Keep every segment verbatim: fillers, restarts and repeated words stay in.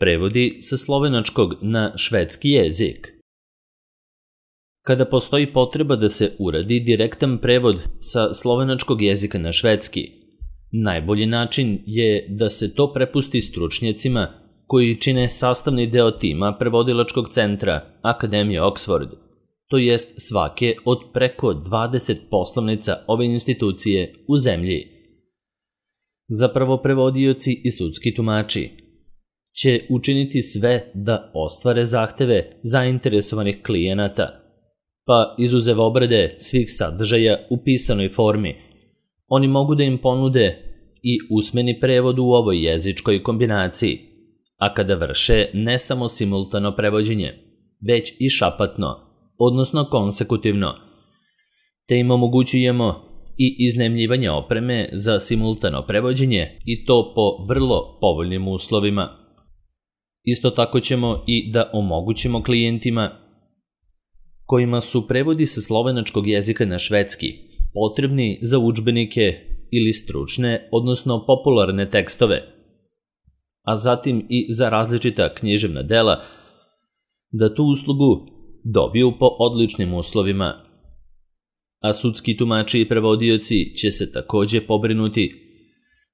Prevodi sa slovenačkog na švedski jezik. Kada postoji potreba da se uradi direktan prevod sa slovenačkog jezika na švedski, najbolji način je da se to prepusti stručnjacima koji čine sastavni deo tima prevodilačkog centra Akademije Oxford, to jest svake od preko dvadeset poslovnica ove institucije u zemlji. Zapravo prevodioci i sudski tumači će učiniti sve da ostvare zahteve zainteresovanih klijenata, pa izuzev obrade svih sadržaja u pisanoj formi, oni mogu da im ponude i usmeni prevod u ovoj jezičkoj kombinaciji, a kada vrše ne samo simultano prevođenje, već i šapatno, odnosno konsekutivno, te im omogućujemo i iznajmljivanje opreme za simultano prevođenje i to po vrlo povoljnim uslovima. Isto tako ćemo i da omogućimo klijentima kojima su prevodi sa slovenačkog jezika na švedski potrebni za udžbenike ili stručne, odnosno popularne tekstove, a zatim i za različita književna dela, da tu uslugu dobiju po odličnim uslovima. A sudski tumači i prevodioci će se takođe pobrinuti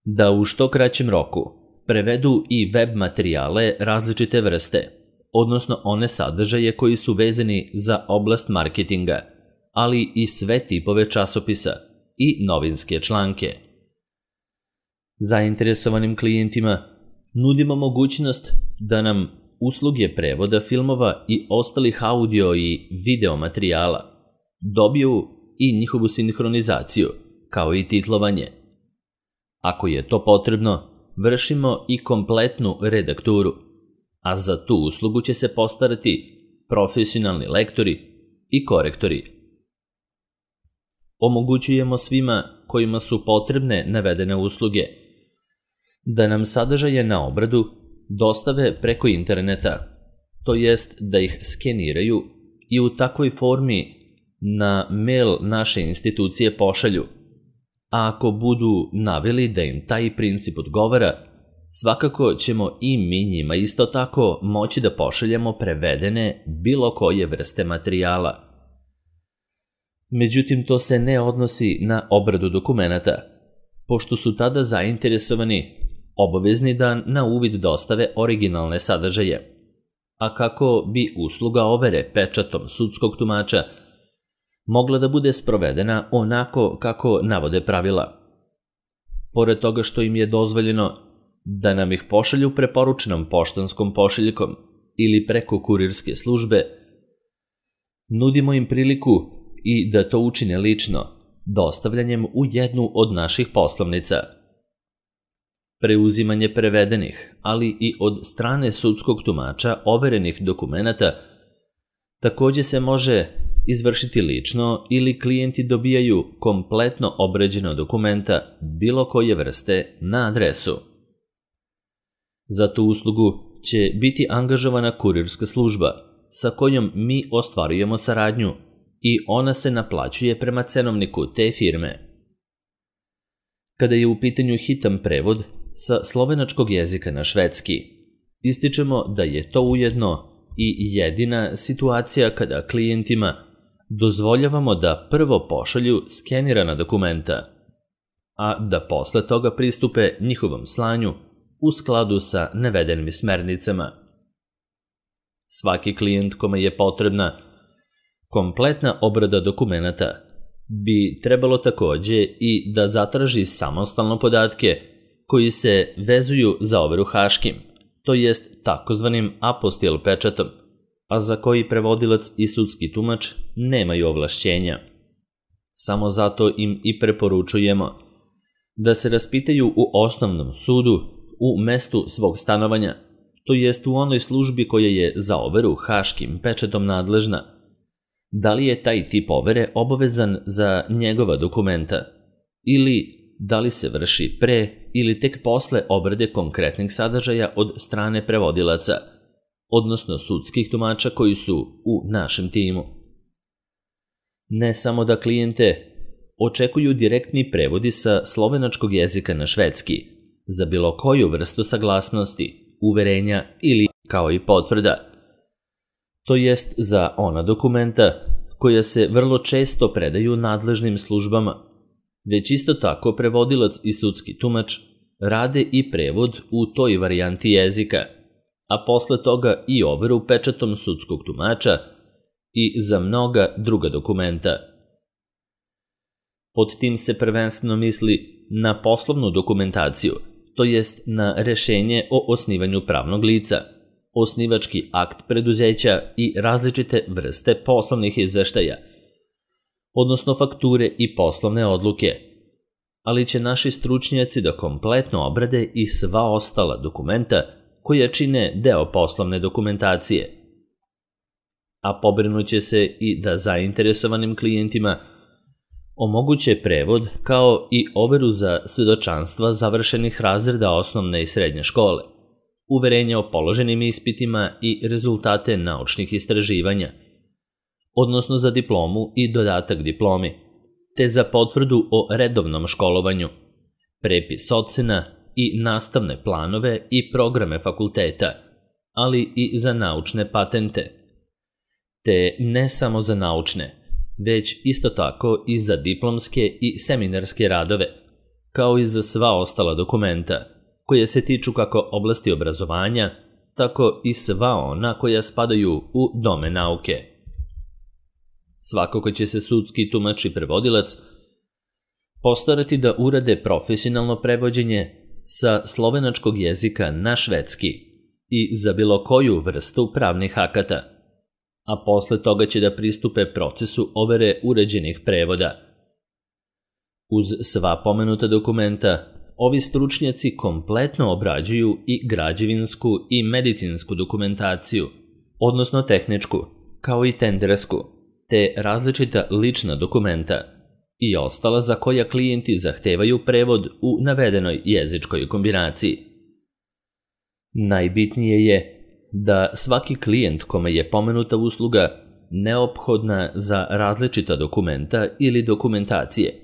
da u što kraćem roku prevedu i web materijale različite vrste, odnosno one sadržaje koji su vezani za oblast marketinga, ali i sve tipove časopisa i novinske članke. Zainteresovanim klijentima nudimo mogućnost da nam usluge prevoda filmova i ostalih audio i video materijala dobiju i njihovu sinhronizaciju, kao i titlovanje. Ako je to potrebno, vršimo i kompletnu redakturu, a za tu uslugu će se postarati profesionalni lektori i korektori. Omogućujemo svima kojima su potrebne navedene usluge da nam sadržaje na obradu dostave preko interneta, to jest da ih skeniraju i u takvoj formi na mail naše institucije pošalju, a ako budu naveli da im taj princip odgovara, svakako ćemo i mi njima isto tako moći da pošaljemo prevedene bilo koje vrste materijala. Međutim, to se ne odnosi na obradu dokumenata, pošto su tada zainteresovani obavezni da na uvid dostave originalne sadržaje, a kako bi usluga overe pečatom sudskog tumača mogla da bude sprovedena onako kako navode pravila. Pored toga što im je dozvoljeno da nam ih pošalju preporučenom poštanskom pošiljkom ili preko kurirske službe, nudimo im priliku i da to učine lično, dostavljanjem u jednu od naših poslovnica. Preuzimanje prevedenih, ali i od strane sudskog tumača overenih dokumenata takođe se može izvršiti lično ili klijenti dobijaju kompletno obrađena dokumenta bilo koje vrste na adresu. Za tu uslugu će biti angažovana kurirska služba sa kojom mi ostvarujemo saradnju i ona se naplaćuje prema cenovniku te firme. Kada je u pitanju hitan prevod sa slovenačkog jezika na švedski, ističemo da je to ujedno i jedina situacija kada klijentima dozvoljavamo da prvo pošalju skenirana dokumenta, a da posle toga pristupe njihovom slanju u skladu sa navedenim smernicama. Svaki klijent kome je potrebna kompletna obrada dokumenata bi trebalo takođe i da zatraži samostalno podatke koji se vezuju za overu haškim, to jest takozvanim apostil pečatom, a za koji prevodilac i sudski tumač nemaju ovlašćenja. Samo zato im i preporučujemo da se raspitaju u osnovnom sudu u mestu svog stanovanja, to jest u onoj službi koja je za overu haškim pečatom nadležna, da li je taj tip overe obavezan za njegova dokumenta ili da li se vrši pre ili tek posle obrade konkretnih sadržaja od strane prevodilaca, odnosno sudskih tumača koji su u našem timu. Ne samo da klijente očekuju direktni prevodi sa slovenačkog jezika na švedski za bilo koju vrstu saglasnosti, uverenja ili kao i potvrda. To jest za ona dokumenta koja se vrlo često predaju nadležnim službama, već isto tako prevodilac i sudski tumač rade i prevod u toj varijanti jezika, a posle toga i overu pečatom sudskog tumača i za mnoga druga dokumenta. Pod tim se prvenstveno misli na poslovnu dokumentaciju, to jest na rešenje o osnivanju pravnog lica, osnivački akt preduzeća i različite vrste poslovnih izveštaja, odnosno fakture i poslovne odluke, ali će naši stručnjaci da kompletno obrade i sva ostala dokumenta koja čine deo poslovne dokumentacije. A pobrinuće se i da zainteresovanim klijentima omoguće prevod kao i overu za svedočanstva završenih razreda osnovne i srednje škole, uverenja o položenim ispitima i rezultate naučnih istraživanja, odnosno za diplomu i dodatak diplomi, te za potvrdu o redovnom školovanju, prepis ocena i nastavne planove i programe fakulteta, ali i za naučne patente, te ne samo za naučne, već isto tako i za diplomske i seminarske radove, kao i za sva ostala dokumenta, koje se tiču kako oblasti obrazovanja, tako i sva ona koja spadaju u domen nauke. Svakako će se sudski tumač i prevodilac postarati da urade profesionalno prevođenje sa slovenačkog jezika na švedski i za bilo koju vrstu pravnih akata, a posle toga će da pristupe procesu overe uređenih prevoda. Uz sva pomenuta dokumenta, ovi stručnjaci kompletno obrađuju i građevinsku i medicinsku dokumentaciju, odnosno tehničku, kao i tendersku, te različita lična dokumenta i ostala za koja klijenti zahtevaju prevod u navedenoj jezičkoj kombinaciji. Najbitnije je da svaki klijent kome je pomenuta usluga neophodna za različita dokumenta ili dokumentacije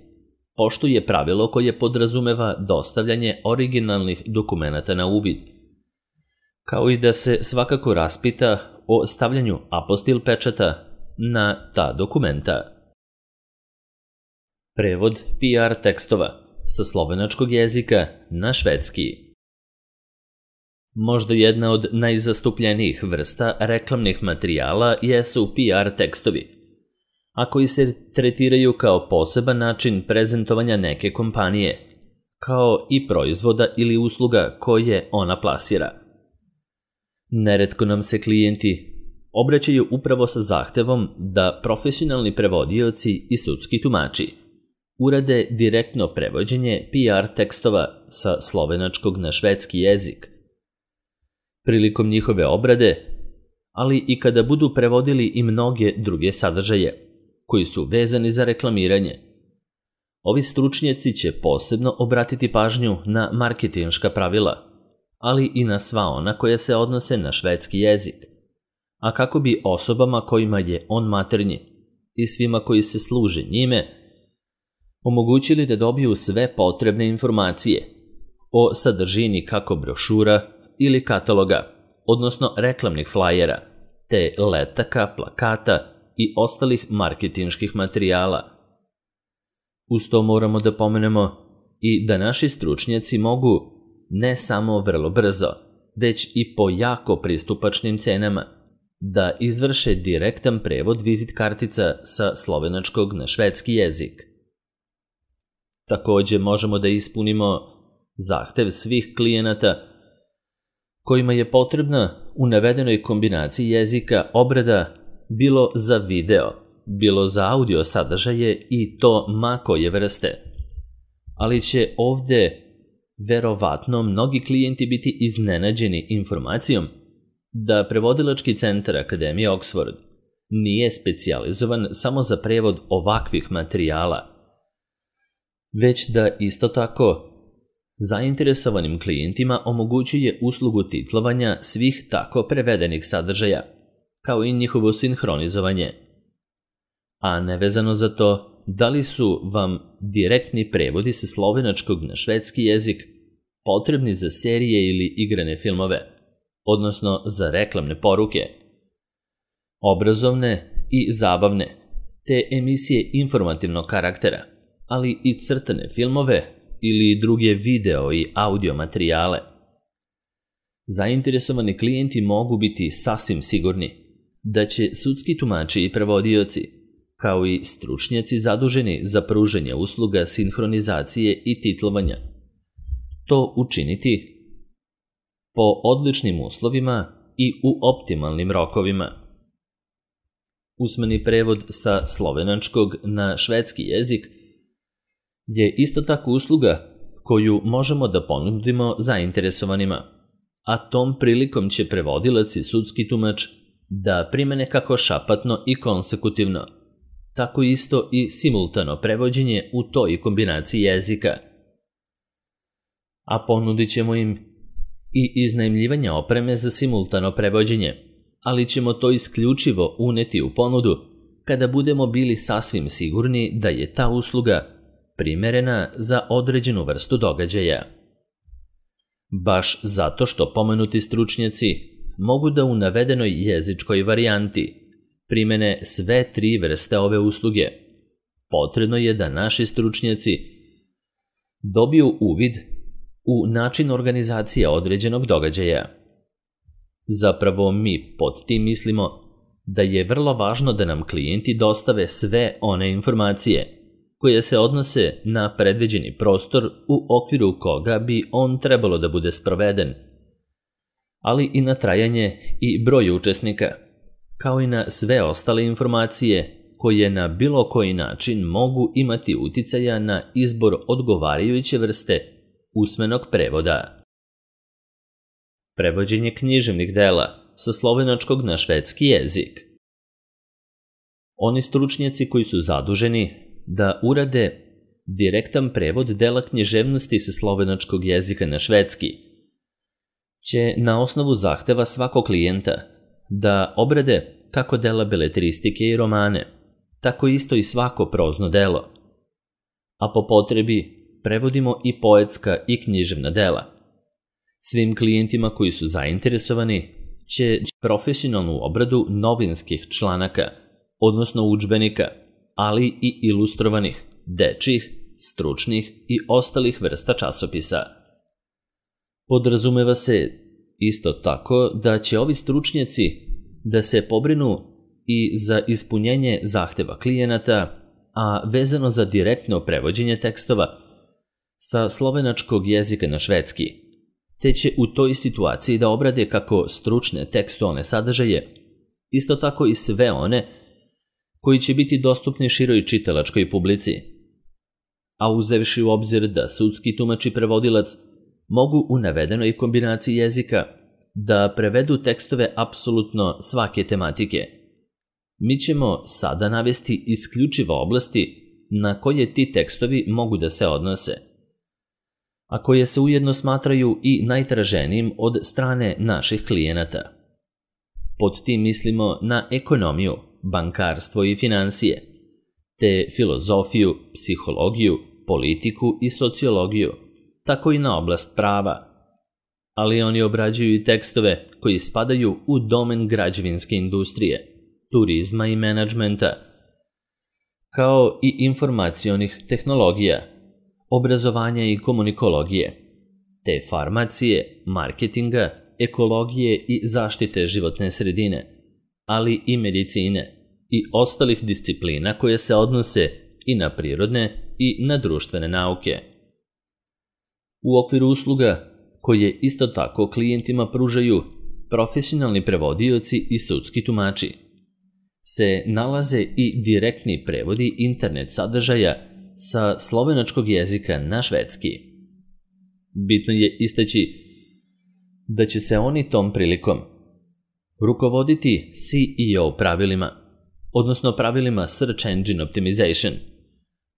poštuje pravilo koje podrazumeva dostavljanje originalnih dokumenata na uvid, kao i da se svakako raspita o stavljanju apostil pečata na ta dokumenta. Prevod P R tekstova sa slovenačkog jezika na švedski. Možda jedna od najzastupljenijih vrsta reklamnih materijala jesu P R tekstovi, a koji se tretiraju kao poseban način prezentovanja neke kompanije, kao i proizvoda ili usluga koje ona plasira. Neretko nam se klijenti obraćaju upravo sa zahtevom da profesionalni prevodioci i sudski tumači urade direktno prevođenje P R tekstova sa slovenačkog na švedski jezik. Prilikom njihove obrade, ali i kada budu prevodili i mnoge druge sadržaje koji su vezani za reklamiranje, ovi stručnjaci će posebno obratiti pažnju na marketinška pravila, ali i na sva ona koja se odnose na švedski jezik, a kako bi osobama kojima je on maternji i svima koji se služe njime omogućili da dobiju sve potrebne informacije o sadržini kako brošura ili kataloga, odnosno reklamnih flajera, te letaka, plakata i ostalih marketinških materijala. Uz to moramo da pomenemo i da naši stručnjaci mogu ne samo vrlo brzo, već i po jako pristupačnim cenama da izvrše direktan prevod vizit kartica sa slovenačkog na švedski jezik. Takođe možemo da ispunimo zahtev svih klijenata kojima je potrebna u navedenoj kombinaciji jezika obrada bilo za video, bilo za audio sadržaje i to ma koje vrste. Ali će ovde verovatno mnogi klijenti biti iznenađeni informacijom da prevodilački centar Akademije Oxford nije specijalizovan samo za prevod ovakvih materijala, već da isto tako zainteresovanim klijentima omogućuje uslugu titlovanja svih tako prevedenih sadržaja, kao i njihovo sinhronizovanje. A nevezano za to, da li su vam direktni prevodi sa slovenačkog na švedski jezik potrebni za serije ili igrane filmove, odnosno za reklamne poruke, obrazovne i zabavne, te emisije informativnog karaktera, ali i crtane filmove ili druge video i audio materijale. Zainteresovani klijenti mogu biti sasvim sigurni da će sudski tumači i prevodioci, kao i stručnjaci zaduženi za pružanje usluga sinhronizacije i titlovanja, to učiniti po odličnim uslovima i u optimalnim rokovima. Usmeni prevod sa slovenačkog na švedski jezik je isto tako usluga koju možemo da ponudimo zainteresovanima, a tom prilikom će prevodilac i sudski tumač da primene kako šapatno i konsekutivno, tako isto i simultano prevođenje u toj kombinaciji jezika. A ponudit ćemo im i iznajmljivanje opreme za simultano prevođenje, ali ćemo to isključivo uneti u ponudu kada budemo bili sasvim sigurni da je ta usluga primerena za određenu vrstu događaja. Baš zato što pomenuti stručnjaci mogu da u navedenoj jezičkoj varijanti primene sve tri vrste ove usluge, potrebno je da naši stručnjaci dobiju uvid u način organizacije određenog događaja. Zapravo mi pod tim mislimo da je vrlo važno da nam klijenti dostave sve one informacije koje se odnose na predviđeni prostor u okviru koga bi on trebalo da bude sproveden, ali i na trajanje i broj učesnika, kao i na sve ostale informacije koje na bilo koji način mogu imati uticaja na izbor odgovarajuće vrste usmenog prevoda. Prevođenje književnih dela sa slovenačkog na švedski jezik. Oni stručnjaci koji su zaduženi da urade direktan prevod dela književnosti sa slovenačkog jezika na švedski će na osnovu zahteva svakog klijenta da obrade kako dela beletristike i romane, tako isto i svako prozno delo, a po potrebi prevodimo i poetska i književna dela. Svim klijentima koji su zainteresovani će profesionalnu obradu novinskih članaka, odnosno udžbenika, ali i ilustrovanih, dečjih, stručnih i ostalih vrsta časopisa. Podrazumeva se isto tako da će ovi stručnjaci da se pobrinu i za ispunjenje zahteva klijenata, a vezano za direktno prevođenje tekstova sa slovenačkog jezika na švedski, te će u toj situaciji da obrade kako stručne tekstualne sadržaje, isto tako i sve one koji će biti dostupni široj čitalačkoj publici. A uzevši u obzir da sudski tumač i prevodilac mogu u navedenoj kombinaciji jezika da prevedu tekstove apsolutno svake tematike, mi ćemo sada navesti isključivo oblasti na koje ti tekstovi mogu da se odnose, a koje se ujedno smatraju i najtraženijim od strane naših klijenata. Pod tim mislimo na ekonomiju, bankarstvo i finansije, te filozofiju, psihologiju, politiku i sociologiju, tako i na oblast prava. Ali oni obrađuju i tekstove koji spadaju u domen građevinske industrije, turizma i menadžmenta, kao i informacionih tehnologija, obrazovanja i komunikologije, te farmacije, marketinga, ekologije i zaštite životne sredine, ali i medicine i ostalih disciplina koje se odnose i na prirodne i na društvene nauke. U okviru usluga koje isto tako klijentima pružaju profesionalni prevodioci i sudski tumači se nalaze i direktni prevodi internet sadržaja sa slovenačkog jezika na švedski. Bitno je istaći da će se oni tom prilikom rukovoditi C E O pravilima, odnosno pravilima Search Engine Optimization,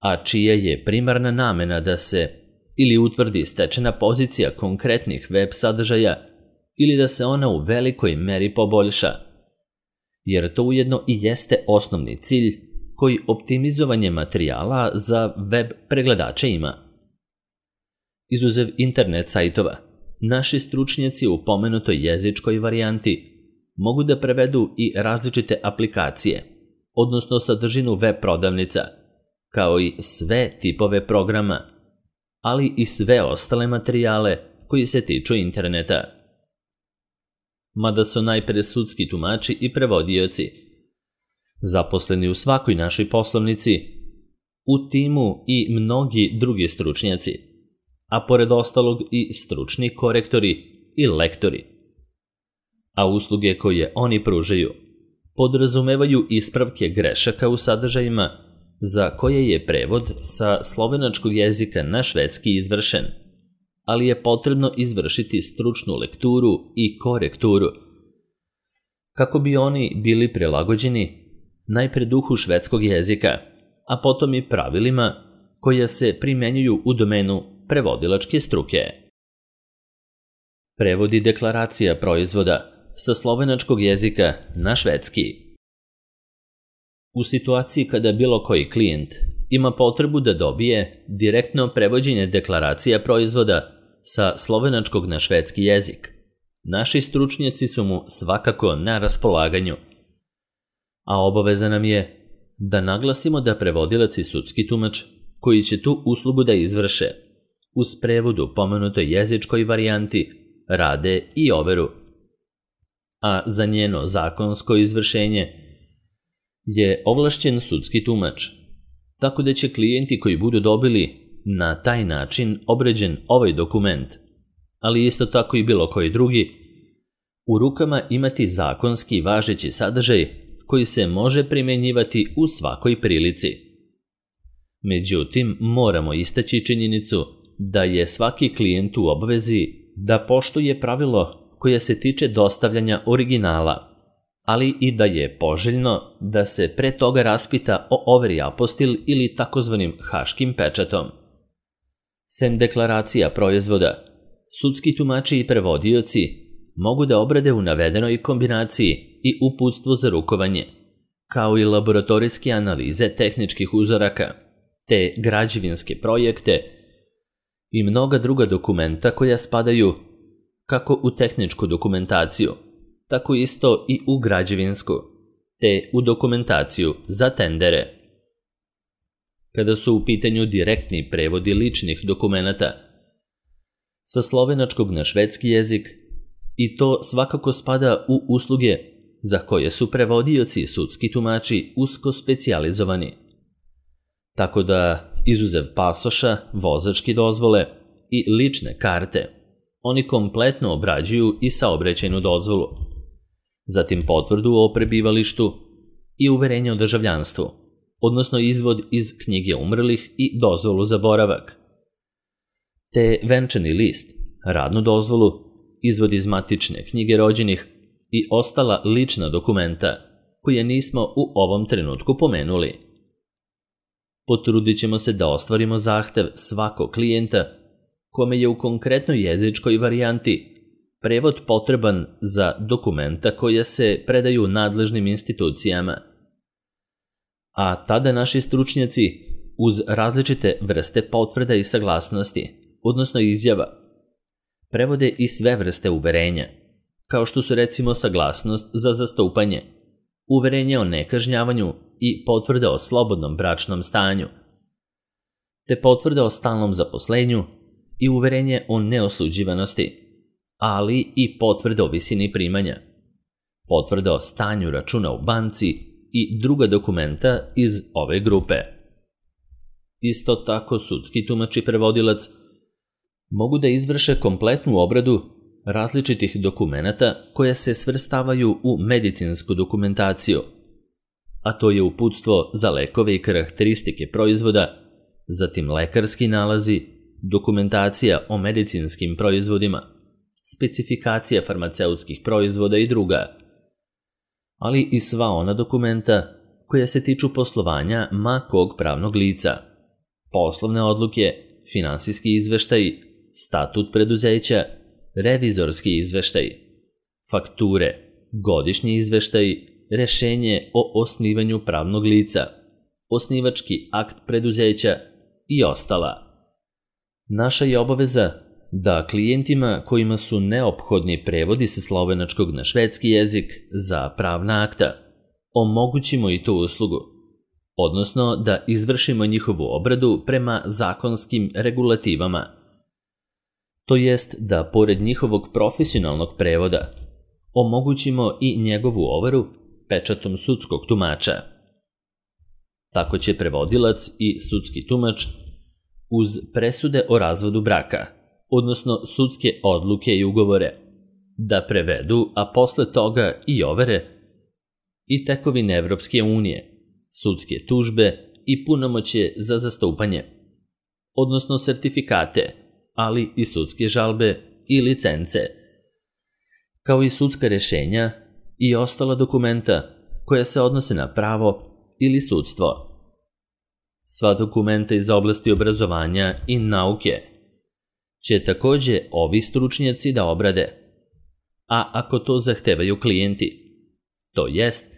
a čija je primarna namena da se ili utvrdi stečena pozicija konkretnih web sadržaja ili da se ona u velikoj meri poboljša, jer to ujedno i jeste osnovni cilj koji optimizovanje materijala za web pregledače ima. Izuzev internet sajtova, naši stručnjaci u pomenutoj jezičkoj varijanti mogu da prevedu i različite aplikacije, odnosno sadržinu web prodavnica, kao i sve tipove programa, ali i sve ostale materijale koji se tiču interneta. Mada su najpre sudski tumači i prevodioci, zaposleni u svakoj našoj poslovnici, u timu i mnogi drugi stručnjaci, a pored ostalog i stručni korektori i lektori. A usluge koje oni pružaju podrazumevaju ispravke grešaka u sadržajima za koje je prevod sa slovenačkog jezika na švedski izvršen, ali je potrebno izvršiti stručnu lekturu i korekturu kako bi oni bili prilagođeni najpre duhu švedskog jezika, a potom i pravilima koja se primenjuju u domenu prevodilačke struke. Prevodi deklaracija proizvoda sa slovenačkog jezika na švedski. U situaciji kada bilo koji klijent ima potrebu da dobije direktno prevođenje deklaracija proizvoda sa slovenačkog na švedski jezik, naši stručnjaci su mu svakako na raspolaganju, a obaveza nam je da naglasimo da prevodilac i sudski tumač koji će tu uslugu da izvrše uz prevod u pomenutoj jezičkoj varijanti rade i overu, a za njeno zakonsko izvršenje je ovlašćen sudski tumač, tako da će klijenti koji budu dobili na taj način obređen ovaj dokument, ali isto tako i bilo koji drugi, u rukama imati zakonski važeći sadržaj koji se može primenjivati u svakoj prilici. Međutim, moramo istaći činjenicu da je svaki klijent u obvezi da poštuje pravilo koje se tiče dostavljanja originala, ali i da je poželjno da se pre toga raspita o overi apostil ili takozvanim haškim pečatom. Sem deklaracija proizvoda, sudski tumači i prevodioci mogu da obrade u navedenoj kombinaciji i uputstvo za rukovanje, kao i laboratorijske analize tehničkih uzoraka, te građevinske projekte i mnoga druga dokumenta koja spadaju kako u tehničku dokumentaciju, tako isto i u građevinsku, te u dokumentaciju za tendere. Kada su u pitanju direktni prevodi ličnih dokumenata sa slovenačkog na švedski jezik, i to svakako spada u usluge za koje su prevodioci i sudski tumači usko specijalizovani. Tako da, izuzev pasoša, vozačke dozvole i lične karte, oni kompletno obrađuju i saobraćajnu dozvolu, zatim potvrdu o prebivalištu i uverenje o državljanstvu, odnosno izvod iz knjige umrlih i dozvolu za boravak, te venčani list, radnu dozvolu, izvod iz matične knjige rođenih i ostala lična dokumenta koje nismo u ovom trenutku pomenuli. Potrudit ćemo se da ostvarimo zahtev svakog klijenta kome je u konkretnoj jezičkoj varijanti prevod potreban za dokumenta koja se predaju nadležnim institucijama. A tada naši stručnjaci uz različite vrste potvrda i saglasnosti, odnosno izjava, prevode i sve vrste uverenja, kao što su recimo saglasnost za zastupanje, uverenje o nekažnjavanju i potvrda o slobodnom bračnom stanju, te potvrda o stalnom zaposlenju i uverenje o neosuđivanosti, ali i potvrda o visini primanja, potvrda o stanju računa u banci i druga dokumenta iz ove grupe. Isto tako sudski tumač i prevodilac mogu da izvrše kompletnu obradu različitih dokumenata koje se svrstavaju u medicinsku dokumentaciju, a to je uputstvo za lekove i karakteristike proizvoda, zatim lekarski nalazi, dokumentacija o medicinskim proizvodima, specifikacija farmaceutskih proizvoda i druga, ali i sva ona dokumenta koja se tiču poslovanja ma kog pravnog lica, poslovne odluke, finansijski izveštaj, statut preduzeća, revizorski izveštaj, fakture, godišnji izveštaj, rešenje o osnivanju pravnog lica, osnivački akt preduzeća i ostala. Naša je obaveza da klijentima kojima su neophodni prevodi sa slovenačkog na švedski jezik za pravna akta omogućimo i tu uslugu, odnosno da izvršimo njihovu obradu prema zakonskim regulativama. To jest da, pored njihovog profesionalnog prevoda, omogućimo i njegovu overu pečatom sudskog tumača. Tako će prevodilac i sudski tumač uz presude o razvodu braka, odnosno sudske odluke i ugovore, da prevedu, a posle toga i overe, i tekovine Evropske unije, sudske tužbe i punomoćje za zastupanje, odnosno sertifikate, ali i sudske žalbe i licence, kao i sudska rešenja i ostala dokumenta koja se odnose na pravo ili sudstvo. Sva dokumenta iz oblasti obrazovanja i nauke će takođe ovi stručnjaci da obrade, a ako to zahtevaju klijenti, to jest,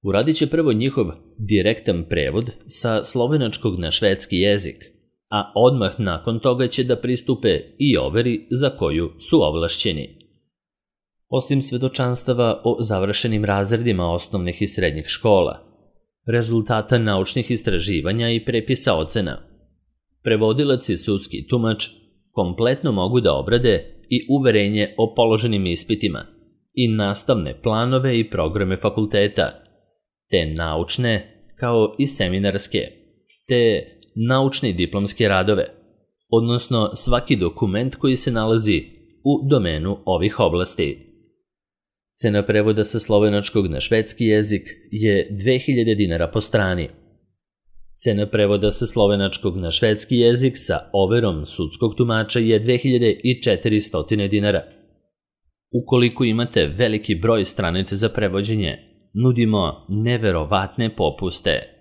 uradit će prvo njihov direktan prevod sa slovenačkog na švedski jezik, a odmah nakon toga će da pristupe i overi za koju su ovlašćeni. Osim svedočanstava o završenim razredima osnovnih i srednjih škola, rezultata naučnih istraživanja i prepisa ocena, prevodilac i sudski tumač kompletno mogu da obrade i uverenje o položenim ispitima i nastavne planove i programe fakulteta, te naučne kao i seminarske, te naučne i diplomske radove, odnosno svaki dokument koji se nalazi u domenu ovih oblasti. Cena prevoda sa slovenačkog na švedski jezik je dve hiljade dinara po strani. Cena prevoda sa slovenačkog na švedski jezik sa overom sudskog tumača je dve hiljade četiristo dinara. Ukoliko imate veliki broj stranica za prevođenje, nudimo neverovatne popuste.